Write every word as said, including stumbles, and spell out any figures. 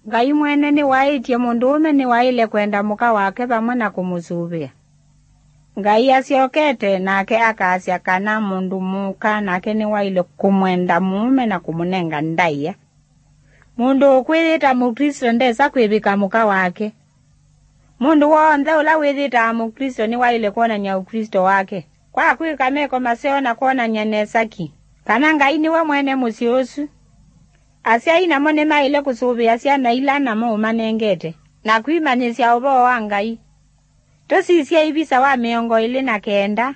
Ngai mwene nĩwaĩtye mũndũũme nĩwaĩle kwenda mũka wake vamwe na kũmũsũvĩa. Ngai asyokete, nake akasya kana mũndũ mũka nake nĩwaĩle kũmwenda mũũme na kũmũnenga ndaĩa. Mũndũ ũkwĩyĩta Mũklĩsto ndesa kwĩvĩka mũka wake. Mũndũ w'onthe ũla wĩyĩtaa Mũklĩsto nĩwaĩle kwonany'a Ũklĩsto wake kwa kwĩka meko maseo na kwonany'a nesa ki kana Ngai nĩwe mwene mũsyĩ ũsu. Asyai namo nĩmaĩle kũsũvĩa syana ila namo ũmanengete na kwĩmanyĩsya ũvoo wa Ngai. Tũsisye ivisa wa mĩongo ĩlĩ na kenda.